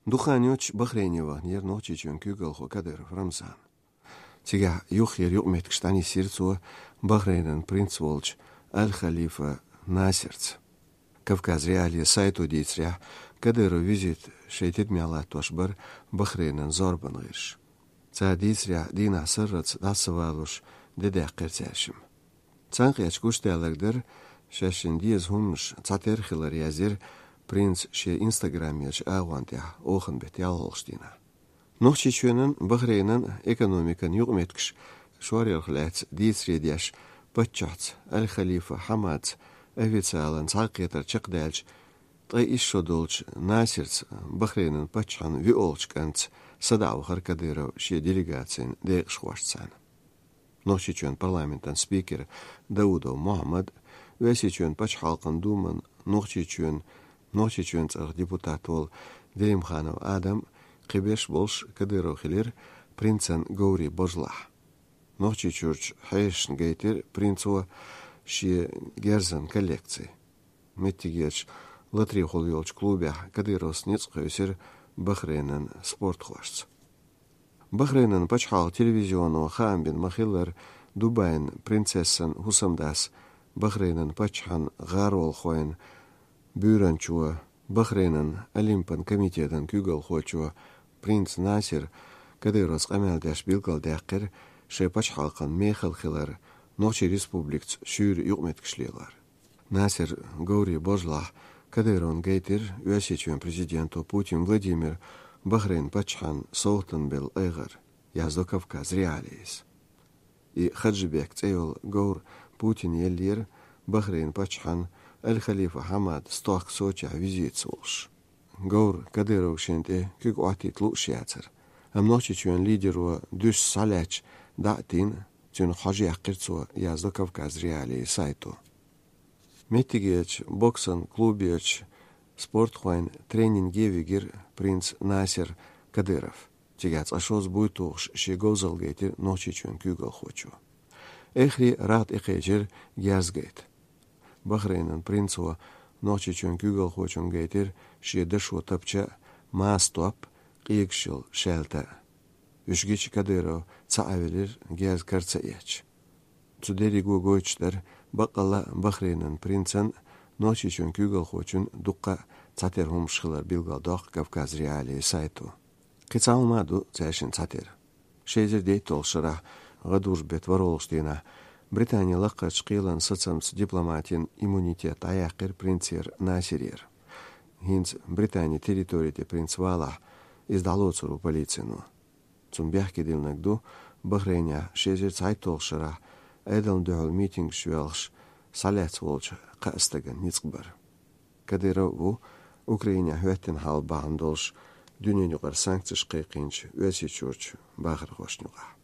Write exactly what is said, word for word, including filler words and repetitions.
Дукха хан йоццуш Бахрейне ваханера Нохчийчоьнан куьйгалхо Кадыров Рамзан. Цигахь юххера юкъаметтигаш дӀанисйира цо Бахрейнан принц волчу Аль-Халифа Насирца. Кавказ.Реалии сайто дийцарехь, Кадыровн визит шайн тидамехь латтош бара Бахрейнан зорбан гӀирсаша. Цара дийцарехь, дийнахь сарралц дӀа ца валош, де даьккхира цаьршимма. Цхьаьнакхеттачу гучудаьлларг дара, шаьшшинна деза хӀуманаш цхьатерра хилар, яздира принца шен инстаграмерчу агӀон тӀехь оханан беттан ялхолгӀачу дийнахь. Нохчийчоьнан, Бахрейнан экономикан юкъаметтигаш шоръярх лаьцна дийцаре деш, паччахьца Аль-Халифа Хьамадца официалан цхьаьнакхетар чекхдаьлча, ткъе исс шо долчу Насирца, Бахрейнан паччахьан виолгӀачу кӀантаца, садаӀа вахара Кадыров шен делегацин декъашхошцара. Нохчийчоьнан парламентан спикер Даудов Мухьаммад, Оьрсийчоьнан пачхьалкхан думан Нохчийчоьнан, Нохчийчоьнан цӀарах депутат волу Делимханов Адам, кхиберш болуш Кадыров хилира принцан говрийн божалахь. Нохчийчуьрчу хьешашна гайтира принцо шен герзан коллекци. Меттигерчу латарехула йолчу клубехь Кадыровс ницкъ кхуьйсира Бахрейнан спортхошца. Бахрейнан пачхьалкхан телевизионо хаам бина ма-хиллара, Дубайн принцессан хӀусамдас, Бахрейнан паччахьан гӀаролхойн буьйранчо, Бахрейнан Олимпан комитетан куьйгалхочо принц Насир Кадыровс къамел деш билгалдаьккхира шайн пачхьалкхан мехала хилар, Нохчийн Республикаца шуьйра юкъаметтигаш лелор. Насиран говрийн божалахь Кадыровна гайтира Оьрсийчоьнан президенто Путин Владимира Бахрейн паччахьан совгӀатан белла айхьар, яздо Кавказ.Реалии. И Хаджибек цӀе йолу говр Путина еллера Бахрейн паччахьан Аль-Халифа Хьамад стохка Сочехь визитаца волуш. Говр Кадыров шен тӀе куьг Ӏоттийта лууш яцара, амма Нохчийчоьнан лидеро дуьсса схьалаьцча дӀа а тина, цуьнах хьожа яьккхира цо, яздо Кавказ.Реалии сайто. Меттигерчу боксан клуберчу спортхойн тренинге вигира принц Насир Кадыров. Цигахь цкъа шозза буй тухуш шен говзалла гайтира Нохчийчоьнан куьйгалхочо. Эххар а рагӀ тӀекхечира герз гайта. Бахрейнан принцо Нохчийчоьнан куьйгалхочунна гайтира шен дашо тапча а, маса топ а, къегаш йолу шаьлта а. Уьш гича Кадыров ца Ӏевелира, герз кара ца эцча. Цу дерриго гойтуш дара, баккъалла а Бахрейнан принцан а, Нохчийчоьнан куьйгалхочун а дуккха а цхьатерра хӀуманаш хилар, билгалдоккху Кавказ.Реалии сайто. Кхин цхьа хӀума а ду цаьршиннан цхьатерра. Ши эзар дейтталгӀачу шарахь гӀадужу беттан ворхӀалгӀачу дийнахь Британин лакхарчу кхелан сацамца дипломатин иммунитет дӀаяьккхира принцера Насирера. ХӀинца Британин территори тӀе принц валахь, иза дӀалоцур ву полицино. Цунна бехке диллинарг ду, Бахрейнехь ши эзар цхьайтталгӀачу шарахь Ӏедална дуьхьал митингаш йоьлхуш схьалаьцна волчу кхаа стагана ницкъ бар. Кадыров ву Украинехь хӀоьттина хьал бахьана долуш дуьненан юкъара санкцеш кхайкхийначу Оьрсийчуьрчу бахархошна юкъахь.